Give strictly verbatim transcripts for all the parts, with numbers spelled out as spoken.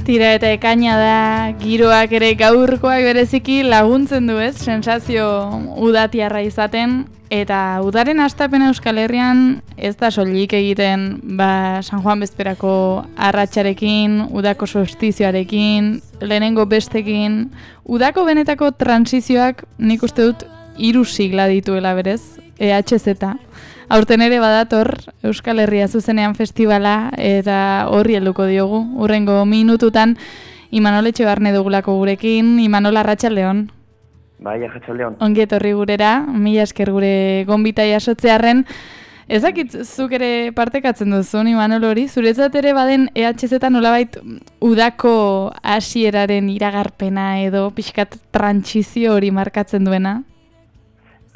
Tira eta ekaina da, giroak ere gaurkoak bereziki laguntzen du ez, sensazio udatiarra izaten, eta udaren hastapen Euskal Herrian ez da soilik egiten ba, San Juan bezperako arratsarekin, udako solstizioarekin, lehenengo bestekin, udako benetako transizioak nik uste dut hiru sigla dituela berez, E H Z. Aurten ere badator Euskal Herria zuzenean festivala eta horri helduko diogu. Hurrengo minututan Imanol Etxebarne dugulako gurekin. Imanol, arratsaldeon. Bai, arratsaldeon. Ongi etorri gurera, mila esker gure gonbita jasotzearren. Ez dakit zuk ere partekatzen duzun, Imanol hori, zuretzat ere baden E H Z nolabait udako hasieraren iragarpena edo pixkat trantsizio hori markatzen duena?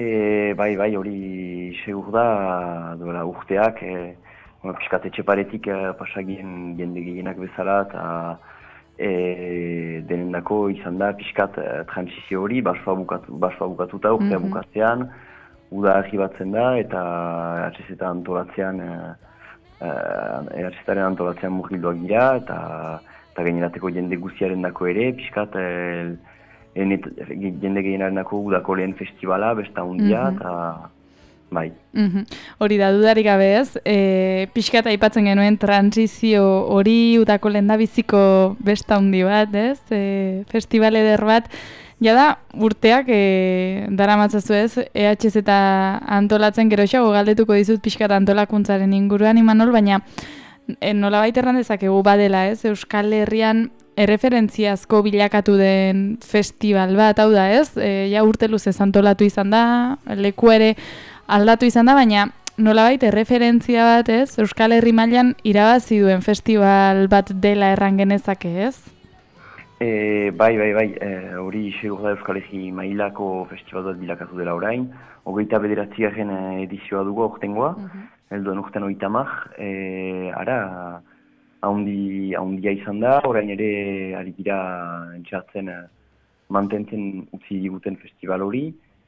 E, bai, bai, hori segur da, duela urteak, e, piskat etxeparetik e, pasagien jende gehienak bezala, eta e, denendako izan da piskat e, transizio hori, basua bukatu, basua bukatuta urtea mm-hmm. bukatzean, uda arribatzen da, eta E H Z antolatzean, E H Z-aren antolatzean murgilduak dira, eta, eta gainerateko jende guztiaren dako ere, piskat e, Enet, jende gehienarnako udako lehen festivala, besta hundia, eta mm-hmm. bai. Mm-hmm. Hori da, dudarik gabe ez, e, pixkat aipatzen genuen transizio hori udako lehen da biziko besta hundi bat, ez? E, festival eder bat, jada urteak e, dara matzazu ez, E H Z antolatzen geroxago galdetuko dizut pixkat antolakuntzaren inguruan, Imanol, baina e, nolabait erran dezakegu badela ez, Euskal Herrian erreferentziazko bilakatu den festival bat, hau da ez, e, ja urte luzez antolatu izan da, leku ere aldatu izan da, baina nolabait erreferentzia bat ez, Euskal Herri mailan irabazi duen festival bat dela erran genezake ez? E, bai, bai, bai, hori e, segur da Euskal Herri mailako festival bat bilakatu dela orain, hogeita bederatzigarren edizioa dugu aurtengoa, uh-huh. helduen urtean hogeita hamar, e, ara, Haundi, haundia izan da, orain ere ari dira entxatzen mantentzen utzi diguten festival hori,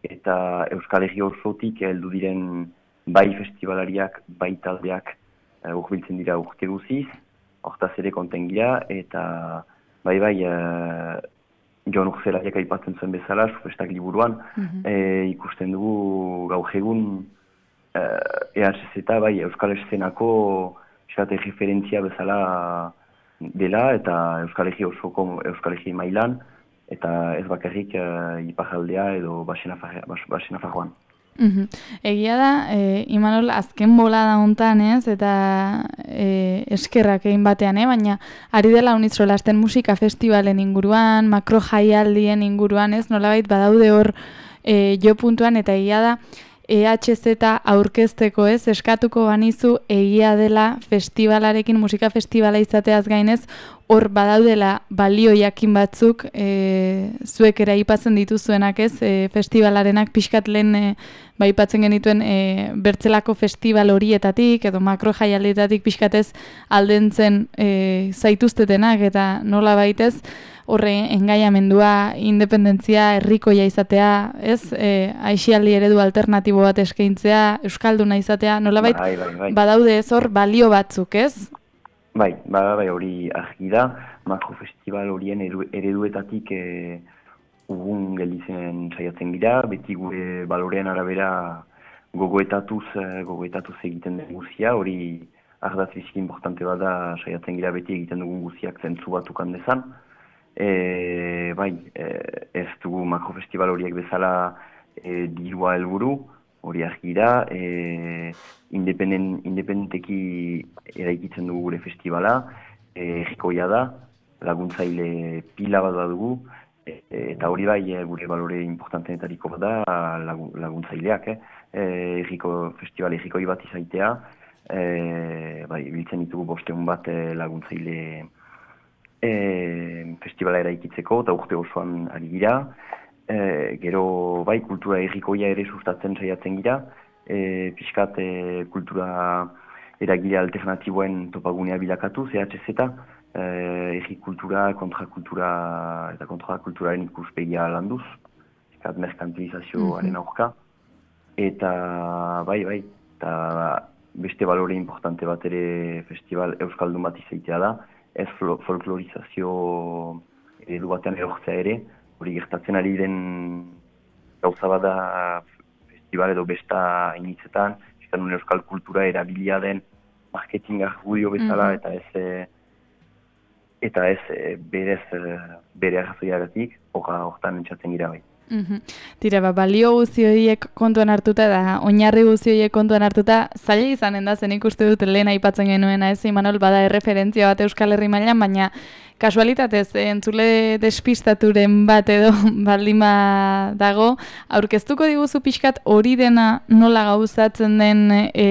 eta Euskal Herri osotik heldu diren bai festivalariak, bai taldeak uh, urbiltzen dira urte guziz, hortaz ere konten gira, eta bai bai uh, Jon Urzelariak aipatzen zuen bezala, Sufestak liburuan, mm-hmm. e, ikusten dugu gaur egun uh, E H Z bai Euskal Eszenako esate referentzia bezala dela eta Euskal Herri osoko Euskal Herri mailan eta ez bakarrik uh, iparraldea edo Baxena Farroan. Mm-hmm. Egia da, e, Imanol, azken bolada hontan ez, eta e, eskerrak egin batean, eh? Baina ari dela unitzrolasten musika festivalen inguruan, makro jaialdien inguruan, ez, nolabait badaude hor e, jo puntuan, eta egia da, E H Z aurkezteko ez, eskatuko banizu egia dela festivalarekin, musika festivala izateaz gainez, hor badaudela balio jakin batzuk, e, zuek ere aipatzen dituzuenak ez, e, festivalarenak pixkat lehen e, baipatzen genituen e, bertzelako festival horietatik, edo makro jaialdietatik pixkatez aldentzen e, zaituztetenak, eta nola baitez, horre engaiamendua, independentzia, herrikoia izatea, ez? E, aixialdi eredu alternatibo bat eskaintzea, euskalduna izatea, nolabait bai, bai, bai. badaude ez hor balio batzuk, ez? Bai, bai, bai, hori argi da, makrofestival horien ereduetatik e, ugun gelditzen saiatzen gira, beti gure balorean arabera gogoetatuz, gogoetatuz egiten den guzia, hori ardatz biziki importante bada saiatzen gira beti egiten dugun guziak zentzu batukan dezan. E, bai, e, ez dugu makrofestival horiek bezala e, dirua helburu, hori argi da, e, independent, independenteki eraikitzen dugu gure festivala, e, errikoia da, laguntzaile pila bat da dugu, e, eta hori bai e, gure balore importantenetariko bat da lagun, laguntzaileak, eh? e, erriko, festival errikoi bat izaitea, e, bai, biltzen ditugu bosteun bat e, laguntzaile E, festivala eraikitzeko eta urte osoan ari gira. E, gero bai kultura herrikoia ere sustatzen saiatzen gira. E, Piskat e, kultura eragile alternatiboen topagunea bilakatu, E H Z, e, herri kultura, kontrakultura eta kontrakulturaren ikuspegia landuz. Piskat merkantilizazioaren aurka. Eta bai, bai, eta beste balore importante bat ere festival euskaldun bat izaitea da. ez folklorizazio eredu batean erortzea ere, hori gertatzen ari den gauza bada festival edo besta initzetan, fiskan euskal kultura erabilia den marketing argudio bezala, mm-hmm. eta ez eta ez berez bere arrazoiagatik, horra hortan entzatzen gira bai. Mm-hmm. Tira, ba, balio guzti horiek kontuan hartuta da, oinarri guzti horiek kontuan hartuta, zaila izanen da, zen ikuste dut lehen aipatzen genuena, ez, Imanol, bada erreferentzia bat Euskal Herri mailan, baina kasualitatez, entzule despistaturen bat edo baldima dago, aurkeztuko diguzu pixkat hori dena nola gauzatzen den e,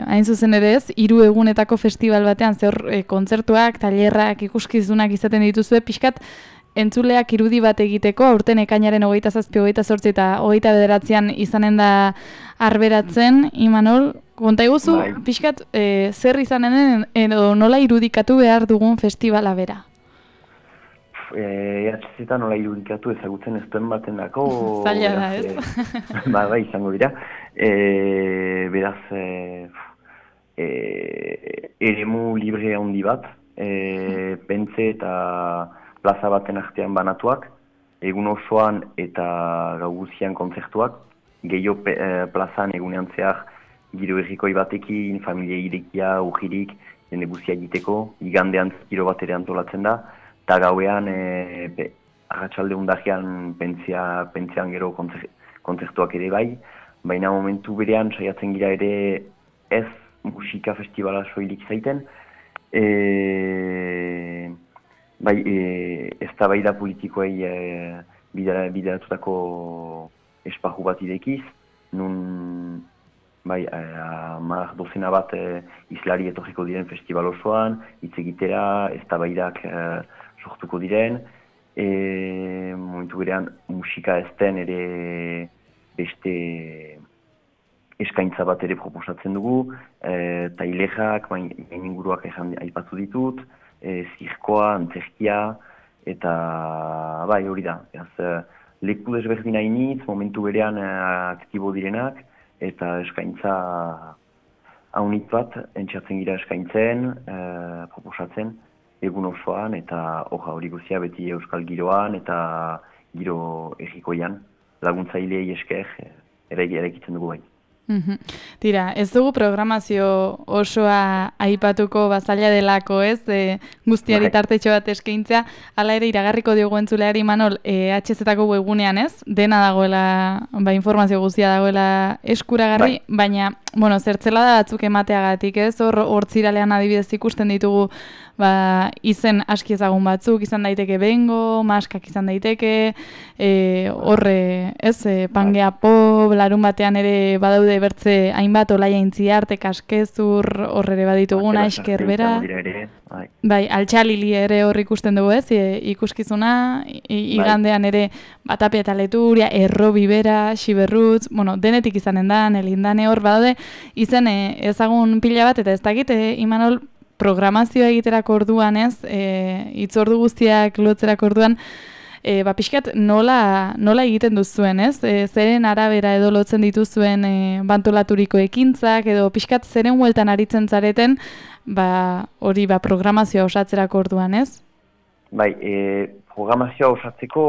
hain zuzen ere ez, hiru egunetako festival batean, zer e, kontzertuak, tailerrak, ikuskizunak izaten dituzue, pixkat entzuleak irudi bat egiteko, aurten ekainaren hogeita zazpi, hogeita zortzi eta hogeita bederatzean izanen da arberatzen, Imanol, konta iguzu, bai. Pixkat, e, zer izanen den, edo nola irudikatu behar dugun festivala bera? E H Z nola irudikatu ezagutzen ez duen baten dako. Zaila da, ez? E, ba, bai, izango dira. E, beraz, e, e, eremu libre handi bat, e, pentze eta plaza baten artean banatuak, egun osoan eta gau guzian kontzertuak, gehiago e, plazan egunean zehar giro errikoi batekin, familia irekia, ujirik, jende guzia egiteko, igandean giro bat ere antolatzen da, eta gauean e, arratsalde undajean pentzia, pentzian gero kontzertuak ere bai, baina momentu berean saiatzen gira ere ez musika festivala soilik zaiten, e, bai, e, ez da bai da politikoei e, bideratutako esparru bat idekiz, nun bai, hamar dozena bat e, izlari etorriko diren festival osoan, hitz egitera, ez da baidak e, sortuko diren, e, momentu berean musika ez den ere beste eskaintza bat ere proposatzen dugu, e, tailejak, main inguruak ezan aipatu ditut, e, zirkoa, antzerkia, eta bai hori da, ez, leku desberdin hainitz, momentu berean e, aktibo direnak, eta eskaintza haunit bat, entxatzen gira eskaintzen, e, proposatzen, egun osoan, eta hoja hori guzia beti euskal giroan, eta giro errikoian, laguntzailei esker, ere erekitzen dugu bai. Mm-hmm. Tira, ez dugu programazio osoa aipatuko bazaila delako, ez? E, guztiari tartetxo bat eskaintzea, hala ere iragarriko diogu entzuleari, Imanol, e, H Z-ako webgunean, ez? Dena dagoela, ba, informazio guztia dagoela eskuragarri, bai. Baina, bueno, zertzela da batzuk emateagatik, ez? Hor, hortziralean adibidez ikusten ditugu, ba, izen aski ezagun batzuk, izan daiteke bengo, maskak izan daiteke, e, horre, ez? E, pangea pop, larun batean ere badaude bertze hainbat olaia intziarte, kaskezur, horre ere badituguna, esker bera. Bai, altxalili ere hor ikusten dugu, ez? E, ikuskizuna, igandean ere batapia eta leturia, erro bibera, xiberrutz, bueno, denetik izanen da, nelindane hor badaude, izen e, ezagun pila bat, eta ez dakit, e, Imanol, programazioa egiterako orduan, ez, e, itzordu guztiak lotzerako orduan, e, ba, pixkat nola, nola egiten duzuen, ez? E, zeren arabera edo lotzen dituzuen e, bantolaturiko ekintzak, edo pixkat zeren hueltan aritzen zareten, ba, hori ba, programazioa osatzerako orduan, ez? Bai, e, programazioa osatzeko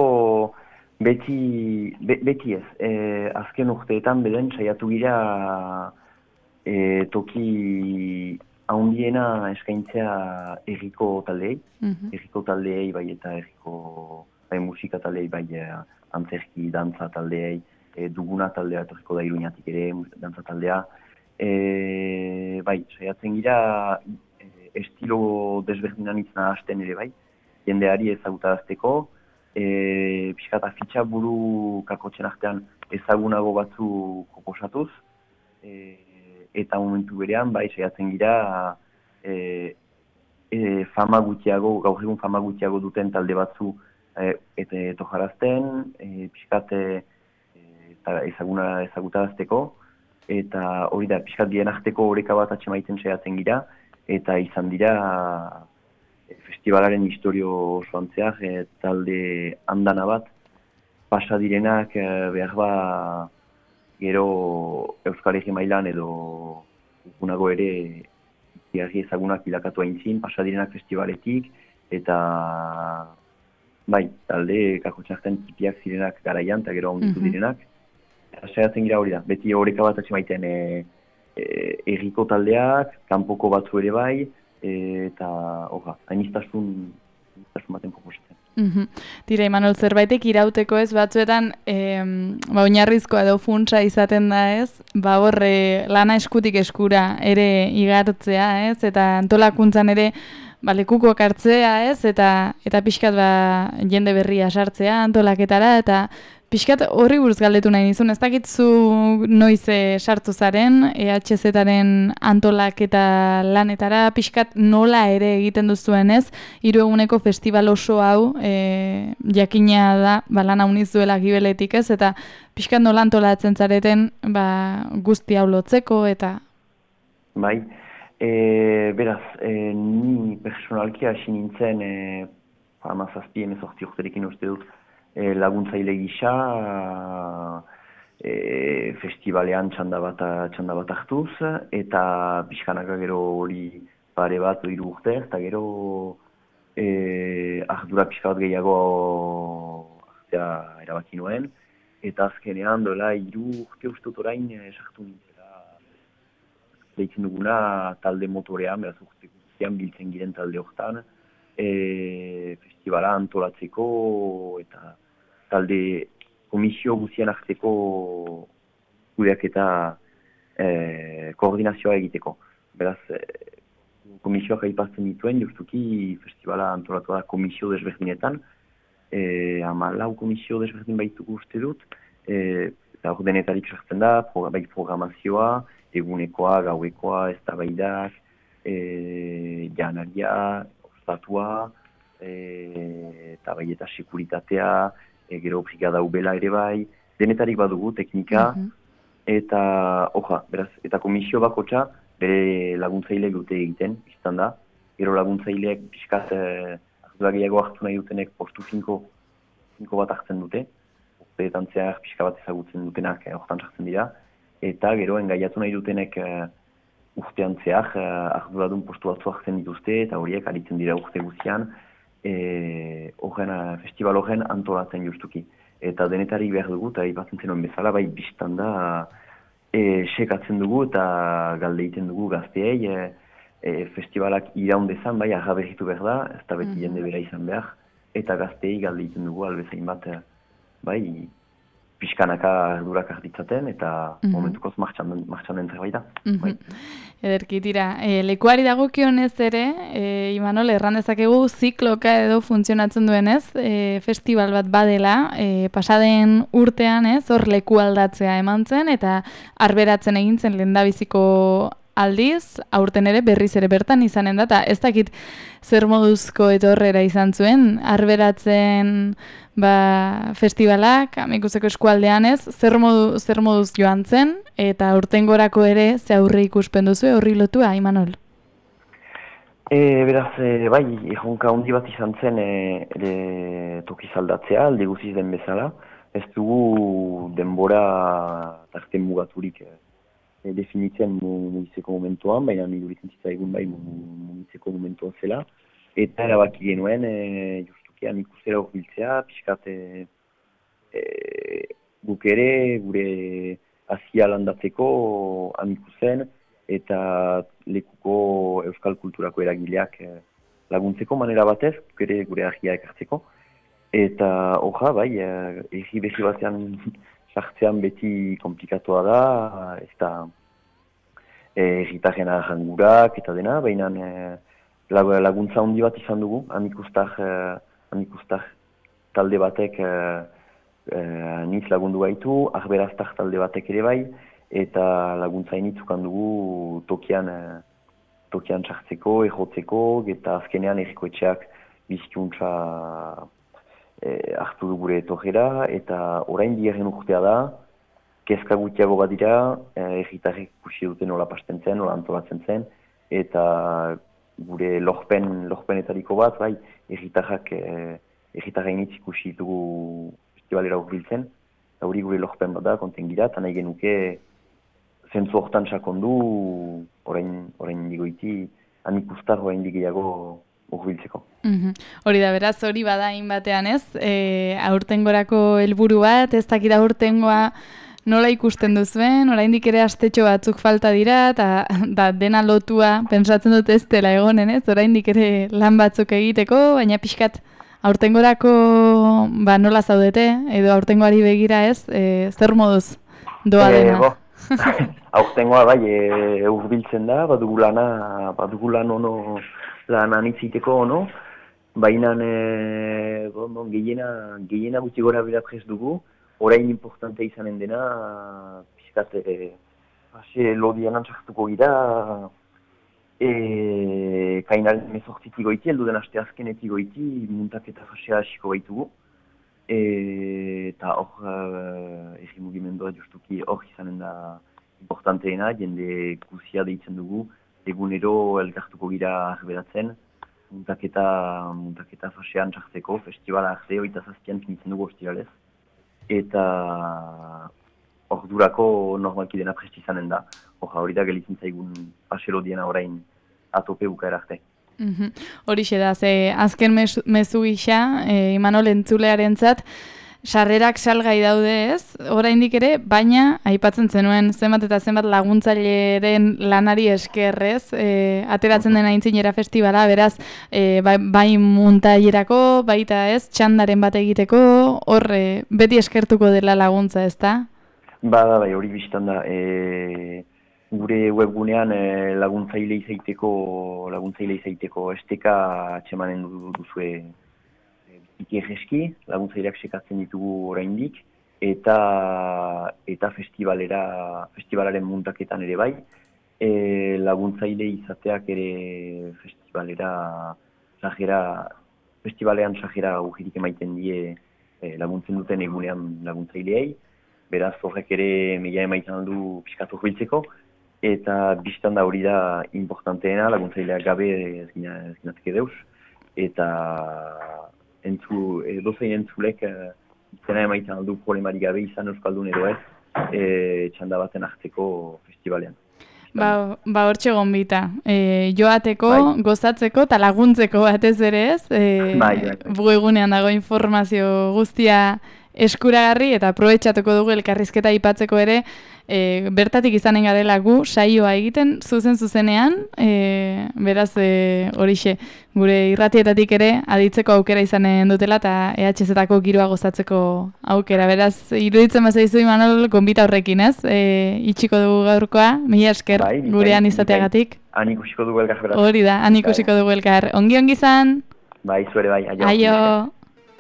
beti, be, beti ez. E, azken urteetan beden saiatu gira e, toki haundiena eskaintzea erriko taldeei, mm-hmm. erriko taldeei bai eta erriko bai, musika taldeei bai antzerki, dantza taldeei, e, duguna taldea etorriko da Iruñatik ere, dantza taldea. E, bai, saiatzen gira e, estilo desberdinan itzena hasten ere bai, jendeari ezagutarazteko, e, pixkat afitxa buru kakotxen artean ezagunago batzu proposatuz, e, eta momentu berean, bai, saiatzen gira e, e, fama gutxiago, gaur egun fama gutxiago duten talde batzu e, eta tojarazten, e, pixkat e, ezaguna ezagutarazteko, eta hori da, pixkat bien arteko oreka bat atxemaiten saiatzen gira, eta izan dira e, festivalaren historio osoan zehar, e, talde andana bat, pasa direnak e, behar ba, gero Euskal Herri mailan edo gunago ere Igarri ezagunak bilakatu aintzin, pasadirenak festivaletik, eta bai, talde kakotxarten tipiak zirenak garaian, eta gero onditu direnak. Eta saiatzen gira hori da, beti horreka bat atxemaiten e, e, erriko taldeak, kanpoko batzu ere bai, e, eta horra, hainiztasun, hainiztasun baten proposatzen. Mm-hmm. Tira, Imanol, zerbaitek irauteko ez batzuetan, e, ba, oinarrizkoa edo funtsa izaten da ez, ba horre lana eskutik eskura ere igartzea ez, eta antolakuntzan ere ba, lekukoak hartzea ez, eta eta pixkat ba, jende berria sartzea antolaketara, eta pixkat horri buruz galdetu nahi nizun, ez dakitzu noiz e, sartu zaren, E H Z-aren antolaketa lanetara, pixkat nola ere egiten duzuen ez, hiru eguneko festival oso hau, e, jakina da, ba, lan hauniz duela gibeletik ez, eta pixkat nola antolatzen zareten ba, guzti hau lotzeko, eta... Bai, e, beraz, e, ni personalki hasi nintzen, e, hamazazpi hemezortzi urterekin uste dut, E, laguntzaile gisa e, festivalean txanda bat, txanda bat hartuz, eta pixkanaka gero hori pare bat hiru urte, eta gero e, ardura pixka bat gehiago hartzea erabaki nuen, eta azkenean doela hiru urte ustut orain sartu nintzela deitzen duguna talde motorean, beraz urte guztian biltzen giren talde hortan, E, festivala antolatzeko eta talde komisio guztien arteko kudeak eta e, koordinazioa egiteko. Beraz, e, komisioak aipatzen dituen, justuki festivala antolatu da komisio desberdinetan, e, hamalau komisio desberdin baituko uste dut, e, eta hor denetarik sartzen da, bai programazioa, egunekoa, gauekoa, eztabaidak, e, janaria, ostatua, e, eta bai eta sekuritatea, e, gero brigada ubela ere bai, denetarik badugu teknika, mm-hmm. eta oja, beraz, eta komisio bakotxa bere laguntzaile dute egiten, izan da, gero laguntzaileek pixkat eh, ardura gehiago hartu nahi dutenek postu finko, finko bat hartzen dute, urteetan zehar pixka bat ezagutzen dutenak eh, hortan sartzen dira, eta gero engaiatu nahi dutenek eh, urtean zehar, uh, arduradun postu batzu hartzen dituzte, eta horiek aritzen dira urte guztian, e, horren, uh, festival horren antolatzen justuki. Eta denetarik behar dugu, eta ipatzen zenuen bezala, bai biztan da, e, sekatzen dugu, eta galde egiten dugu gazteei, e, e, festivalak iraundezan, bai, agaberritu behar da, ez da beti jende bera izan behar, eta gazteei galde egiten dugu, albezain bat, bai, pixkanaka ardurak hartitzaten, eta mm-hmm. momentukoz martxan, martxan den zerbait da. Mm-hmm. Bai. Ederki, tira, e, lekuari dagokionez ere, e, Imanol, erran dezakegu zikloka edo funtzionatzen duenez, e, festival bat badela, e, pasaden urtean ez, hor leku aldatzea eman zen, eta arberatzen egin zen lehendabiziko aldiz, aurten ere berriz ere bertan izanen da, eta ez dakit zer moduzko etorrera izan zuen, arberatzen ba, festivalak, amikuzeko eskualdean ez, zer, modu, zer moduz joan zen, eta urtengorako ere ze aurre ikuspen duzu, horri lotua, Imanol? E, beraz, e, bai, erronka handi bat izan zen e, ere tokiz aldatzea, alde guziz den bezala, ez dugu denbora tarte mugaturik e, definitzen mugitzeko momentuan, baina niduritzen zitzaigun bai mugitzeko momentuan zela, eta erabaki genuen, e, justukean ikusera horbiltzea, pixkat e, e, guk ere, gure azia landatzeko amikuzen, eta lekuko euskal kulturako eragileak e, laguntzeko manera batez, guk ere gure agia ekartzeko, eta hoja, bai, egi behi batean sartzean beti komplikatoa da, ez da erritaren arrangurak eta dena, baina e, laguntza handi bat izan dugu, amikustar, e, amikustar talde batek e, e, niz lagundu gaitu, arberaztar talde batek ere bai, eta laguntza initzukan dugu tokian, e, tokian sartzeko, errotzeko, eta azkenean errikoetxeak bizikuntza E, hartu du gure etorrera, eta orain bigarren urtea da, kezka gutiago bat dira, erritarrek ikusi dute nola pasten zen, nola antolatzen zen, eta gure lorpen, lorpenetariko bat, bai, erritarrak, e, erritarrainitz ikusi dugu festivalera urbiltzen, eta hori gure lorpen bat da, konten gira, eta nahi genuke zentzu hortan sakondu, orain, orain digoiti, hanik ustarroa indik gehiago urbiltzeko. Mm-hmm. Hori da, beraz, hori bada batean ez, e, aurtengorako helburu bat, ez dakit aurtengoa nola ikusten duzuen, oraindik ere astetxo batzuk falta dira, eta da, dena lotua, pentsatzen dut ez dela egonen ez, oraindik ere lan batzuk egiteko, baina pixkat aurtengorako ba, nola zaudete, edo aurtengoari begira ez, e, zer moduz doa dena? E, aurtengoa bai, e, urbiltzen da, badugu lana, badugu lan ono, lan anitziteko ono, baina e, bon, gehiena, gehiena gutxi gora bera prest dugu, orain importante izanen dena, pixkat, e, hase lodian antxartuko gira, e, kainaren mezortzitik goiti, elduden aste azkenetik goiti, muntaketa fasea hasiko baitugu. Eta hor, uh, erri mugimendua justuki hor izanen da importanteena, jende guzia deitzen dugu, egunero elkartuko gira arberatzen, muntaketa, muntaketa fasean txartzeko, festivala arte, oita zazpian finitzen dugu ostiralez. Eta hor durako normalki dena prest izanen da, hor hori da gelitzen zaigun paselo diena orain atope bukaera arte. Mm-hmm. Horixe da, ze azken mezu, mezu gisa, e, Imanol entzulearentzat, sarrerak salgai daude ez, oraindik ere, baina aipatzen zenuen zenbat eta zenbat laguntzaileren lanari eskerrez, e, ateratzen dena aintzinera festivala, beraz, e, bai, bai muntailerako, baita ez, txandaren bat egiteko, hor e, beti eskertuko dela laguntza, ez da? Ba, bai, hori biztan da, e... gure webgunean eh, laguntzaile izaiteko, laguntzaile izaiteko esteka atxemanen duzue biziki egeski, laguntzaileak sekatzen ditugu oraindik, eta eta festivalera, festivalaren muntaketan ere bai, e, laguntzaile izateak ere festivalera, sajera, festivalean sajera ujirik emaiten die e, laguntzen duten egunean laguntzaileei, beraz horrek ere meia emaiten du pixkatu biltzeko, eta biztan da hori da importanteena, laguntzaileak gabe ez ginatzeke deus, eta entzu, dozein entzulek izena emaitan aldu problemari gabe izan euskaldun edo ez, e, txanda baten hartzeko festivalean. Ba, ba hortxe gonbita, e, joateko, bai. gozatzeko eta laguntzeko batez ere ez, e, bai, bai, bai. bugegunean dago informazio guztia eskuragarri eta aprobetxatuko dugu elkarrizketa aipatzeko ere, e, bertatik izanen garela gu saioa egiten zuzen zuzenean, e, beraz e, horixe gure irratietatik ere aditzeko aukera izanen dutela eta E H Z-etako giroa gozatzeko aukera. Beraz, iruditzen bazaizu Imanol gonbita horrekin, ez? E, itxiko dugu gaurkoa, mila esker bai, gurean izateagatik. Han ikusiko dugu elkar beraz. Hori da, han ikusiko dugu elkar. Ongi ongi izan? Bai, zuere bai, aio. Aio.